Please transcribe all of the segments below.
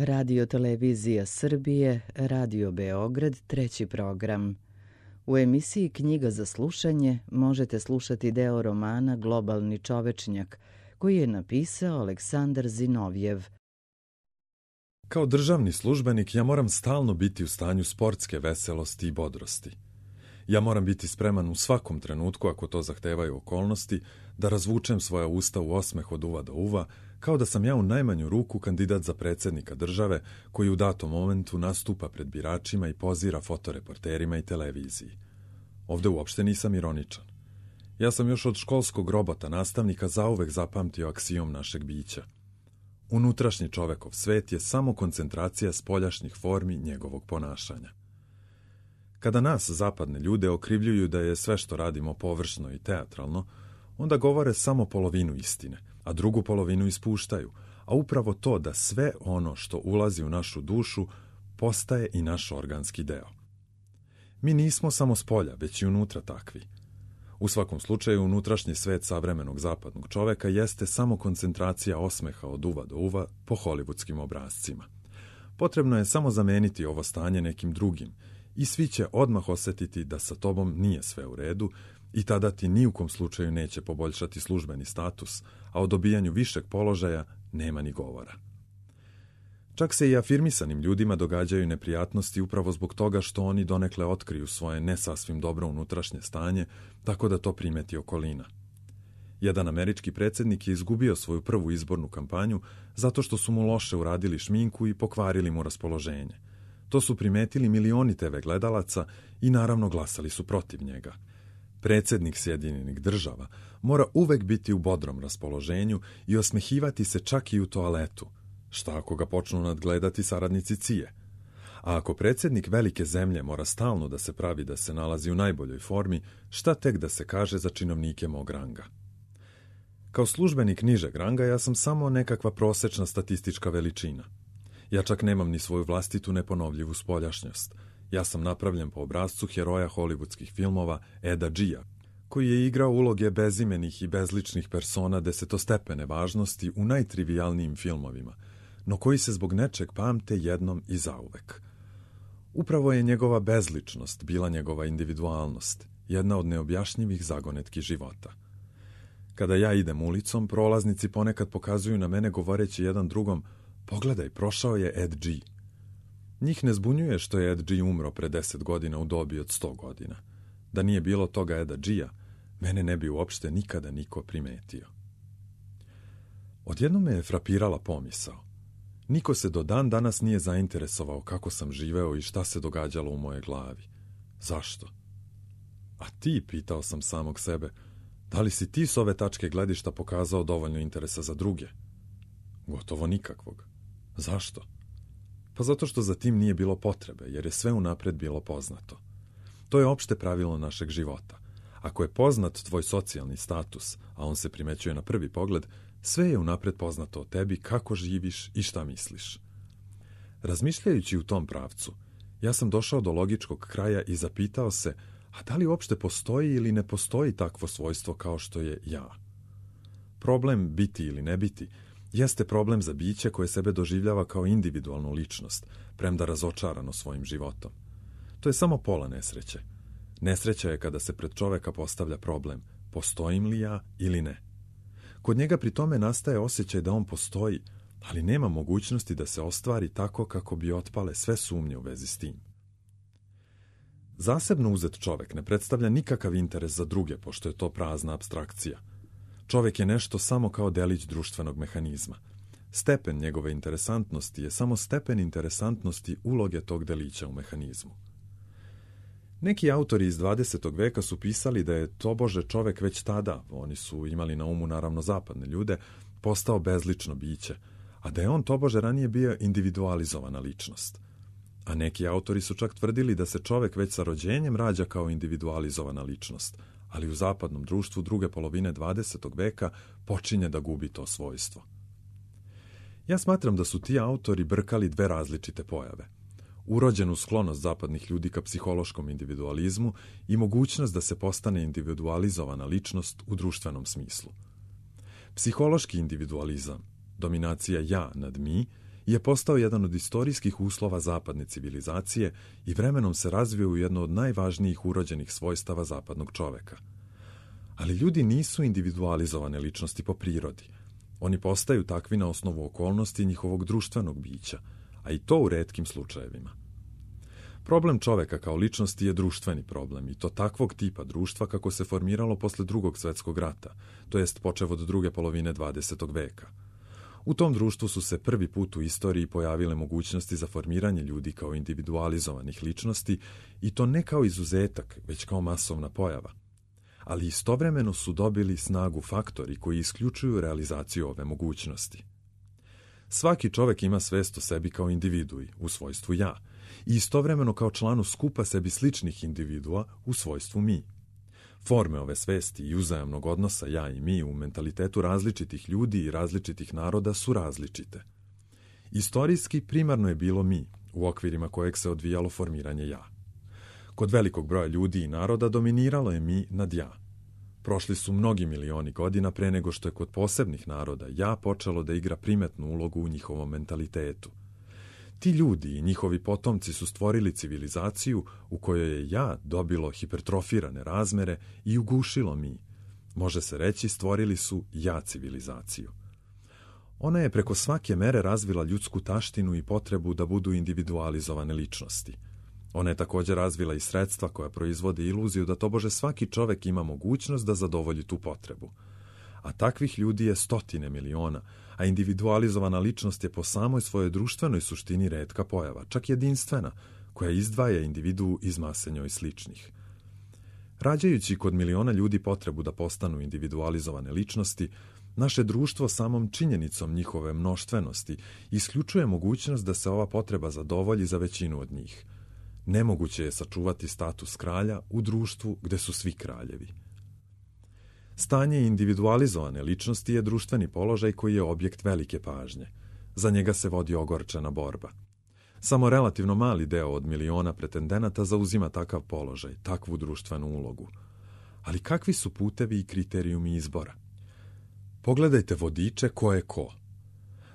Radio Televizija Srbije, Radio Beograd, treći program. U emisiji Knjiga za slušanje možete slušati deo romana Globalni čovečnjak, koji je napisao Aleksandar Zinovjev. Kao državni službenik ja moram stalno biti u stanju sportske veselosti i bodrosti. Ja moram biti spreman u svakom trenutku, ako to zahtevaju okolnosti, da razvučem svoja usta u osmeh od uva do uva, kao da sam ja u najmanju ruku kandidat za predsjednika države koji u datom momentu nastupa pred biračima i pozira fotoreporterima i televiziji. Ovde uopšte nisam ironičan. Ja sam još od školskog robota nastavnika zauvek zapamtio aksijom našeg bića. Unutrašnji čovekov svet je samo koncentracija spoljašnjih formi njegovog ponašanja. Kada nas, zapadne ljude, okrivljuju da je sve što radimo površno i teatralno, onda govore samo polovinu istine, a drugu polovinu ispuštaju, a upravo to da sve ono što ulazi u našu dušu postaje i naš organski deo. Mi nismo samo spolja, već i unutra takvi. U svakom slučaju, unutrašnji svet savremenog zapadnog čoveka jeste samo koncentracija osmeha od uva do uva po hollywoodskim obrascima. Potrebno je samo zameniti ovo stanje nekim drugim i svi će odmah osetiti da sa tobom nije sve u redu i tada ti ni u kom slučaju neće poboljšati službeni status, a o dobijanju višeg položaja nema ni govora. Čak se i afirmisanim ljudima događaju neprijatnosti upravo zbog toga što oni donekle otkriju svoje ne sasvim dobro unutrašnje stanje, tako da to primeti okolina. Jedan američki predsjednik je izgubio svoju prvu izbornu kampanju zato što su mu loše uradili šminku i pokvarili mu raspoloženje. To su primetili milioni TV gledalaca i naravno glasali su protiv njega. Predsjednik Sjedinjenih Država mora uvek biti u bodrom raspoloženju i osmehivati se čak i u toaletu. Šta ako ga počnu nadgledati saradnici CIA? A ako predsjednik velike zemlje mora stalno da se pravi da se nalazi u najboljoj formi, šta tek da se kaže za činovnike mog ranga? Kao službenik nižeg ranga ja sam samo nekakva prosečna statistička veličina. Ja čak nemam ni svoju vlastitu neponovljivu spoljašnjost. Ja sam napravljen po obrascu heroja hollywoodskih filmova Eda Gia, koji je igrao uloge bezimenih i bezličnih persona desetostepene važnosti u najtrivijalnijim filmovima, no koji se zbog nečeg pamte jednom i zauvek. Upravo je njegova bezličnost bila njegova individualnost, jedna od neobjašnjivih zagonetki života. Kada ja idem ulicom, prolaznici ponekad pokazuju na mene govoreći jedan drugom: pogledaj, prošao je Ed G. Njih ne zbunjuje što je Ed G umro pre 10 godina u dobi od 100 godina. Da nije bilo toga Eda G-a, mene ne bi uopšte nikada niko primetio. Odjednom me je frapirala pomisao. Niko se do dan danas nije zainteresovao kako sam živeo i šta se događalo u moje glavi. Zašto? A ti, pitao sam samog sebe, da li si ti s ove tačke gledišta pokazao dovoljno interesa za druge? Gotovo nikakvog. Zašto? Pa zato što za tim nije bilo potrebe, jer je sve unapred bilo poznato. To je opšte pravilo našeg života. Ako je poznat tvoj socijalni status, a on se primećuje na prvi pogled, sve je unapred poznato o tebi, kako živiš i šta misliš. Razmišljajući u tom pravcu, ja sam došao do logičkog kraja i zapitao se, a da li uopšte postoji ili ne postoji takvo svojstvo kao što je ja? Problem biti ili ne biti jeste problem za biće koje sebe doživljava kao individualnu ličnost, premda razočarano svojim životom. To je samo pola nesreće. Nesreća je kada se pred čoveka postavlja problem, postojim li ja ili ne. Kod njega pri tome nastaje osjećaj da on postoji, ali nema mogućnosti da se ostvari tako kako bi otpale sve sumnje u vezi s tim. Zasebno uzet čovek ne predstavlja nikakav interes za druge, pošto je to prazna apstrakcija. Čovek je nešto samo kao delić društvenog mehanizma. Stepen njegove interesantnosti je samo stepen interesantnosti uloge tog delića u mehanizmu. Neki autori iz 20. veka su pisali da je tobože čovek već tada, oni su imali na umu naravno zapadne ljude, postao bezlično biće, a da je on tobože ranije bio individualizovana ličnost. A neki autori su čak tvrdili da se čovek već sa rođenjem rađa kao individualizovana ličnost, ali u zapadnom društvu druge polovine 20. veka počinje da gubi to svojstvo. Ja smatram da su ti autori brkali dve različite pojave. Urođenu sklonost zapadnih ljudi ka psihološkom individualizmu i mogućnost da se postane individualizovana ličnost u društvenom smislu. Psihološki individualizam, dominacija ja nad mi, je postao jedan od istorijskih uslova zapadne civilizacije i vremenom se razvio u jedno od najvažnijih urođenih svojstava zapadnog čoveka. Ali ljudi nisu individualizovane ličnosti po prirodi. Oni postaju takvi na osnovu okolnosti njihovog društvenog bića, a i to u retkim slučajevima. Problem čoveka kao ličnosti je društveni problem, i to takvog tipa društva kako se formiralo posle Drugog svjetskog rata, to jest počev od druge polovine 20. veka. U tom društvu su se prvi put u istoriji pojavile mogućnosti za formiranje ljudi kao individualizovanih ličnosti, i to ne kao izuzetak, već kao masovna pojava. Ali istovremeno su dobili snagu faktori koji isključuju realizaciju ove mogućnosti. Svaki čovek ima svest o sebi kao individui, u svojstvu ja, i istovremeno kao članu skupa sebi sličnih individua u svojstvu mi. Forme ove svesti i uzajamnog odnosa ja i mi u mentalitetu različitih ljudi i različitih naroda su različite. Istorijski primarno je bilo mi, u okvirima kojeg se odvijalo formiranje ja. Kod velikog broja ljudi i naroda dominiralo je mi nad ja. Prošli su mnogi milioni godina pre nego što je kod posebnih naroda ja počelo da igra primetnu ulogu u njihovom mentalitetu. Ti ljudi i njihovi potomci su stvorili civilizaciju u kojoj je ja dobilo hipertrofirane razmere i ugušilo mi. Može se reći, stvorili su ja civilizaciju. Ona je preko svake mere razvila ljudsku taštinu i potrebu da budu individualizovane ličnosti. Ona je također razvila i sredstva koja proizvode iluziju da tobože svaki čovek ima mogućnost da zadovolji tu potrebu. A takvih ljudi je stotine miliona, a individualizovana ličnost je po samoj svojoj društvenoj suštini retka pojava, čak jedinstvena, koja izdvaja individuu iz mase njoj sličnih. Rađajući kod miliona ljudi potrebu da postanu individualizovane ličnosti, naše društvo samom činjenicom njihove mnoštvenosti isključuje mogućnost da se ova potreba zadovolji za većinu od njih. Nemoguće je sačuvati status kralja u društvu gde su svi kraljevi. Stanje individualizovane ličnosti je društveni položaj koji je objekt velike pažnje. Za njega se vodi ogorčena borba. Samo relativno mali deo od miliona pretendenata zauzima takav položaj, takvu društvenu ulogu. Ali kakvi su putevi i kriterijumi izbora? Pogledajte vodiče ko je ko.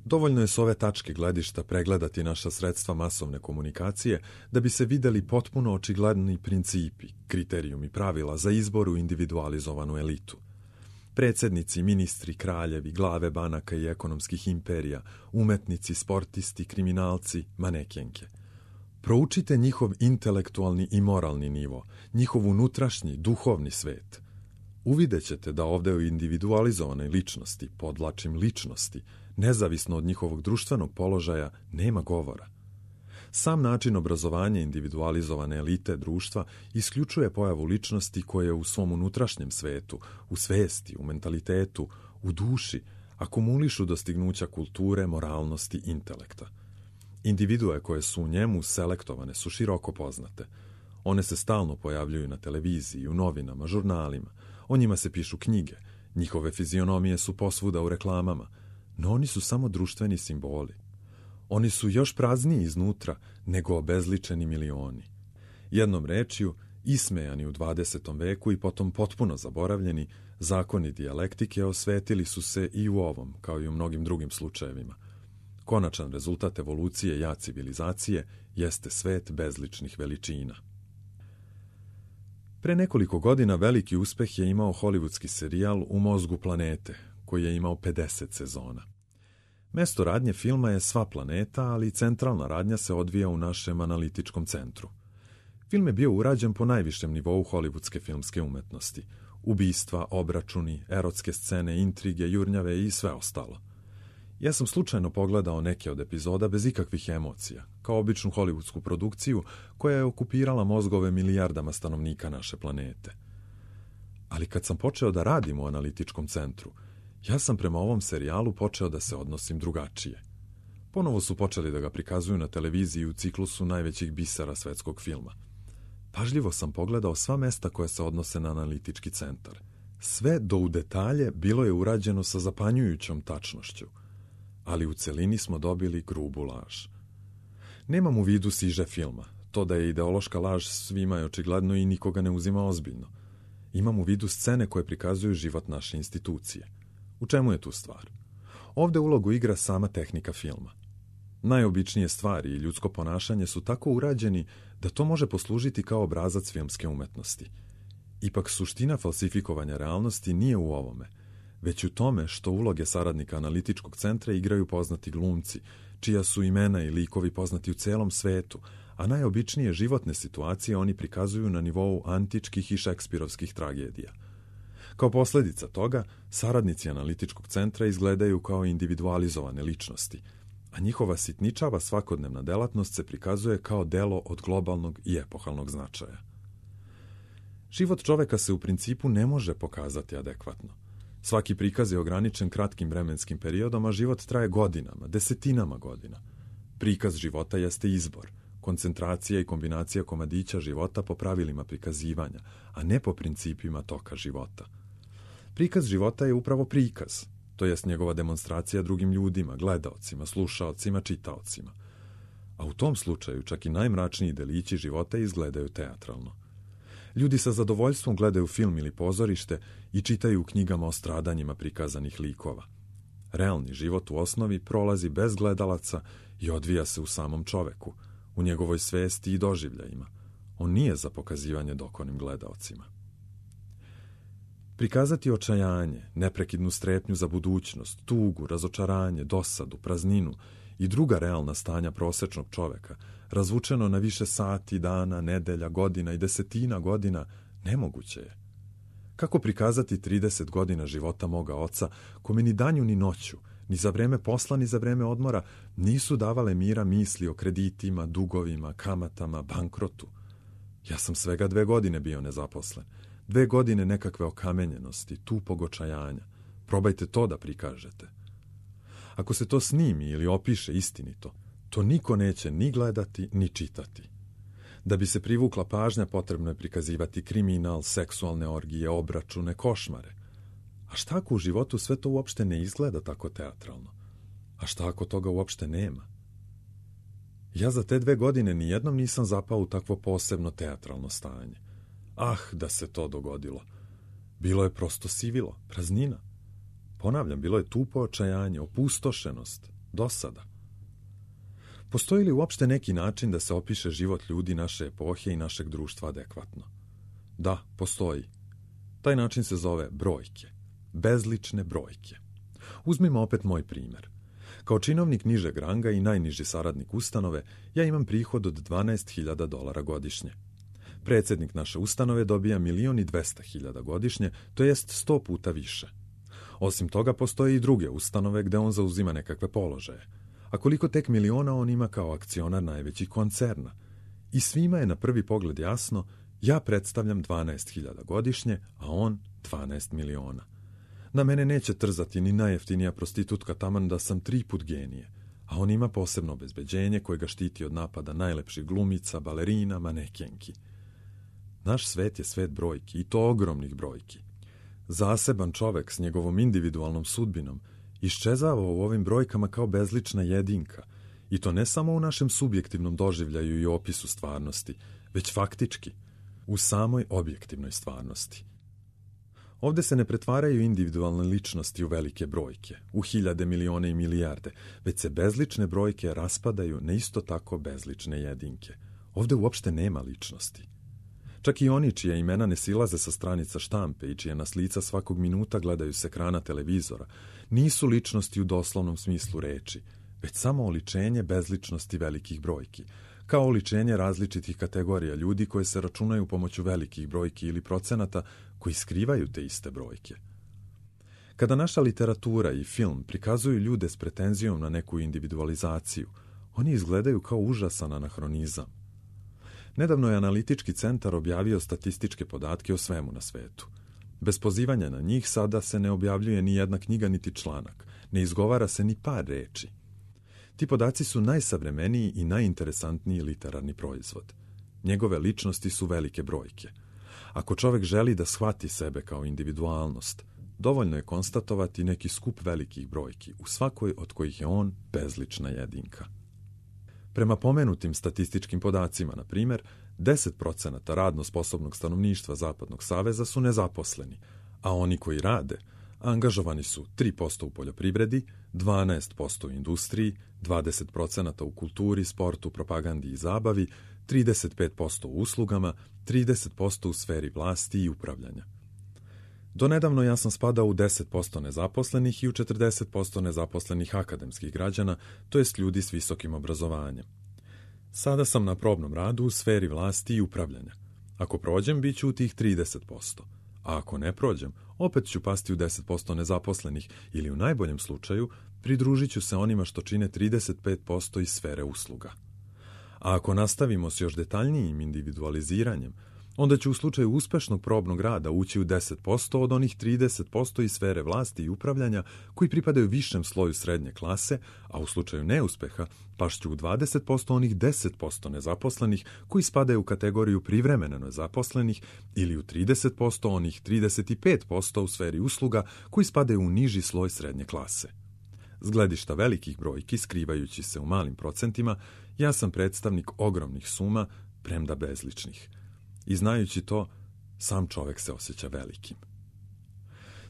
Dovoljno je s ove tačke gledišta pregledati naša sredstva masovne komunikacije da bi se videli potpuno očigledni principi, kriterijumi pravila za izbor u individualizovanu elitu. Predsjednici, ministri, kraljevi, glave banaka i ekonomskih imperija, umetnici, sportisti, kriminalci, manekenke. Proučite njihov intelektualni i moralni nivo, njihov unutrašnji, duhovni svet. Uvidjet ćete da ovde u individualizovanoj ličnosti, podvlačim ličnosti, nezavisno od njihovog društvenog položaja, nema govora. Sam način obrazovanja individualizovane elite društva isključuje pojavu ličnosti koje u svom unutrašnjem svetu, u svesti, u mentalitetu, u duši, akumulišu dostignuća kulture, moralnosti, intelekta. Individue koje su u njemu selektovane su široko poznate. One se stalno pojavljuju na televiziji, u novinama, žurnalima, o njima se pišu knjige, njihove fizionomije su posvuda u reklamama, no oni su samo društveni simboli. Oni su još prazniji iznutra nego obezličeni milioni. Jednom rečju, ismejani u 20. veku i potom potpuno zaboravljeni, zakoni dijalektike osvetili su se i u ovom, kao i u mnogim drugim slučajevima. Konačan rezultat evolucije ja civilizacije jeste svet bezličnih veličina. Pre nekoliko godina veliki uspeh je imao hollywoodski serijal U mozgu planete, koji je imao 50 sezona. Mesto radnje filma je sva planeta, ali centralna radnja se odvija u našem analitičkom centru. Film je bio urađen po najvišem nivou hollywoodske filmske umetnosti. Ubistva, obračuni, erotske scene, intrige, jurnjave i sve ostalo. Ja sam slučajno pogledao neke od epizoda bez ikakvih emocija, kao običnu hollywoodsku produkciju koja je okupirala mozgove milijardama stanovnika naše planete. Ali kad sam počeo da radim u analitičkom centru, ja sam prema ovom serijalu počeo da se odnosim drugačije. Ponovo su počeli da ga prikazuju na televiziji u ciklusu najvećih bisera svetskog filma. Pažljivo sam pogledao sva mesta koja se odnose na analitički centar. Sve do u detalje bilo je urađeno sa zapanjujućom tačnošću, ali u celini smo dobili grubu laž. Nemam u vidu siže filma. To da je ideološka laž svima je očigledno i nikoga ne uzima ozbiljno. Imam u vidu scene koje prikazuju život naše institucije. U čemu je tu stvar? Ovde ulogu igra sama tehnika filma. Najobičnije stvari i ljudsko ponašanje su tako urađeni da to može poslužiti kao obrazac filmske umetnosti. Ipak suština falsifikovanja realnosti nije u ovome, već u tome što uloge saradnika analitičkog centra igraju poznati glumci, čija su imena i likovi poznati u celom svetu, a najobičnije životne situacije oni prikazuju na nivou antičkih i šekspirovskih tragedija. Kao posljedica toga, saradnici analitičkog centra izgledaju kao individualizovane ličnosti, a njihova sitničava svakodnevna delatnost se prikazuje kao delo od globalnog i epohalnog značaja. Život čoveka se u principu ne može pokazati adekvatno. Svaki prikaz je ograničen kratkim vremenskim periodom, a život traje godinama, desetinama godina. Prikaz života jeste izbor, koncentracija i kombinacija komadića života po pravilima prikazivanja, a ne po principima toka života. Prikaz života je upravo prikaz, to jest njegova demonstracija drugim ljudima, gledaocima, slušaocima, čitaocima. A u tom slučaju čak i najmračniji delići života izgledaju teatralno. Ljudi sa zadovoljstvom gledaju film ili pozorište i čitaju u knjigama o stradanjima prikazanih likova. Realni život u osnovi prolazi bez gledalaca i odvija se u samom čoveku, u njegovoj svesti i doživljajima. On nije za pokazivanje dokonim gledaocima. Prikazati očajanje, neprekidnu strepnju za budućnost, tugu, razočaranje, dosadu, prazninu i druga realna stanja prosečnog čoveka, razvučeno na više sati, dana, nedelja, godina i desetina godina, nemoguće je. Kako prikazati 30 godina života moga oca, kome ni danju ni noću, ni za vreme posla ni za vreme odmora, nisu davale mira misli o kreditima, dugovima, kamatama, bankrotu? Ja sam svega 2 godine bio nezaposlen. 2 godine nekakve okamenjenosti, tupog očajanja. Probajte to da prikažete. Ako se to snimi ili opiše istinito, to niko neće ni gledati, ni čitati. Da bi se privukla pažnja, potrebno je prikazivati kriminal, seksualne orgije, obračune, košmare. A šta ako u životu sve to uopšte ne izgleda tako teatralno? A šta ako toga uopšte nema? Ja za te 2 godine nijednom nisam zapao u takvo posebno teatralno stanje. Ah, da se to dogodilo. Bilo je prosto sivilo, praznina. Ponavljam, bilo je tupo očajanje, opustošenost, dosada. Postoji li uopšte neki način da se opiše život ljudi naše epohe i našeg društva adekvatno? Da, postoji. Taj način se zove brojke. Bezlične brojke. Uzmimo opet moj primjer. Kao činovnik nižeg ranga i najniži saradnik ustanove, ja imam prihod od $12.000 godišnje. Predsjednik naše ustanove dobija 1.200.000 godišnje, to jest 100 puta više. Osim toga, postoje i druge ustanove gde on zauzima nekakve položaje. A koliko tek miliona on ima kao akcionar najvećih koncerna? I svima je na prvi pogled jasno, ja predstavljam 12.000 godišnje, a on 12 miliona. Na mene neće trzati ni najjeftinija prostitutka taman da sam 3 put genije, a on ima posebno obezbeđenje koje ga štiti od napada najlepših glumica, balerina, manekenki. Naš svet je svet brojki, i to ogromnih brojki. Zaseban čovek s njegovom individualnom sudbinom iščezava u ovim brojkama kao bezlična jedinka, i to ne samo u našem subjektivnom doživljaju i opisu stvarnosti, već faktički, u samoj objektivnoj stvarnosti. Ovde se ne pretvaraju individualne ličnosti u velike brojke, u hiljade, milione i milijarde, već se bezlične brojke raspadaju na isto tako bezlične jedinke. Ovde uopšte nema ličnosti. Čak i oni čija imena ne silaze sa stranica štampe i čija nas lica svakog minuta gledaju s ekrana televizora, nisu ličnosti u doslovnom smislu reči, već samo oličenje bezličnosti velikih brojki, kao oličenje različitih kategorija ljudi koje se računaju pomoću velikih brojki ili procenata koji skrivaju te iste brojke. Kada naša literatura i film prikazuju ljude s pretenzijom na neku individualizaciju, oni izgledaju kao užasan anahronizam. Nedavno je analitički centar objavio statističke podatke o svemu na svetu. Bez pozivanja na njih sada se ne objavljuje ni jedna knjiga niti članak, ne izgovara se ni par reči. Ti podaci su najsavremeniji i najinteresantniji literarni proizvod. Njegove ličnosti su velike brojke. Ako čovek želi da shvati sebe kao individualnost, dovoljno je konstatovati neki skup velikih brojki, u svakoj od kojih je on bezlična jedinka. Prema pomenutim statističkim podacima, na primjer, 10% radno sposobnog stanovništva Zapadnog saveza su nezaposleni, a oni koji rade, angažovani su 3% u poljoprivredi, 12% u industriji, 20% u kulturi, sportu, propagandi i zabavi, 35% u uslugama, 30% u sferi vlasti i upravljanja. Donedavno ja sam spadao u 10% nezaposlenih i u 40% nezaposlenih akademskih građana, to jest ljudi s visokim obrazovanjem. Sada sam na probnom radu u sferi vlasti i upravljanja. Ako prođem, bit ću u tih 30%, a ako ne prođem, opet ću pasti u 10% nezaposlenih ili u najboljem slučaju pridružit ću se onima što čine 35% iz sfere usluga. A ako nastavimo s još detaljnijim individualiziranjem, onda će u slučaju uspešnog probnog rada ući u 10% od onih 30% iz sfere vlasti i upravljanja koji pripadaju višem sloju srednje klase, a u slučaju neuspeha pašću u 20% onih 10% nezaposlenih koji spadaju u kategoriju privremeno nezaposlenih ili u 30% onih 35% u sferi usluga koji spadaju u niži sloj srednje klase. S gledišta velikih brojki, skrivajući se u malim procentima, ja sam predstavnik ogromnih suma, premda bezličnih. I znajući to, sam čovek se osjeća velikim.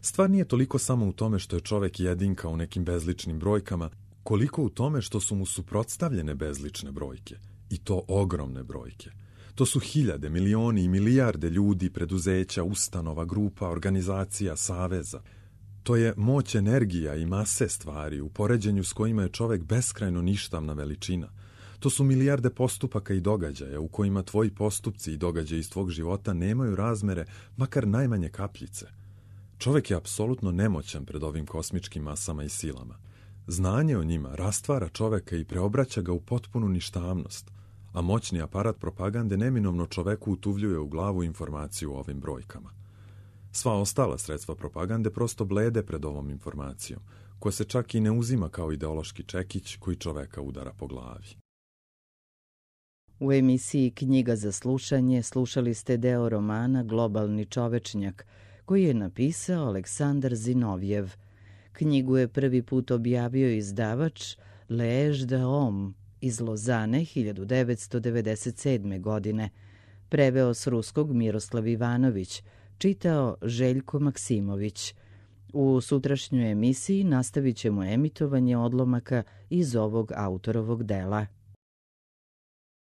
Stvar nije toliko samo u tome što je čovek jedinka u nekim bezličnim brojkama, koliko u tome što su mu suprotstavljene bezlične brojke. I to ogromne brojke. To su hiljade, milioni i milijarde ljudi, preduzeća, ustanova, grupa, organizacija, saveza. To je moć energija i mase stvari u poređenju s kojima je čovek beskrajno ništavna veličina. To su milijarde postupaka i događaja u kojima tvoji postupci i događaji iz tvog života nemaju razmere, makar najmanje kapljice. Čovek je apsolutno nemoćan pred ovim kosmičkim masama i silama. Znanje o njima rastvara čoveka i preobraća ga u potpunu ništavnost, a moćni aparat propagande neminovno čoveku utuvljuje u glavu informaciju o ovim brojkama. Sva ostala sredstva propagande prosto blede pred ovom informacijom, koja se čak i ne uzima kao ideološki čekić koji čoveka udara po glavi. U emisiji Knjiga za slušanje slušali ste deo romana Globalni čovečnjak, koji je napisao Aleksandar Zinovjev. Knjigu je prvi put objavio izdavač L'Age de Homme iz Lozane 1997. godine. Preveo s ruskog Miroslav Ivanović, čitao Željko Maksimović. U sutrašnjoj emisiji nastavit ćemo emitovanje odlomaka iz ovog autorovog dela.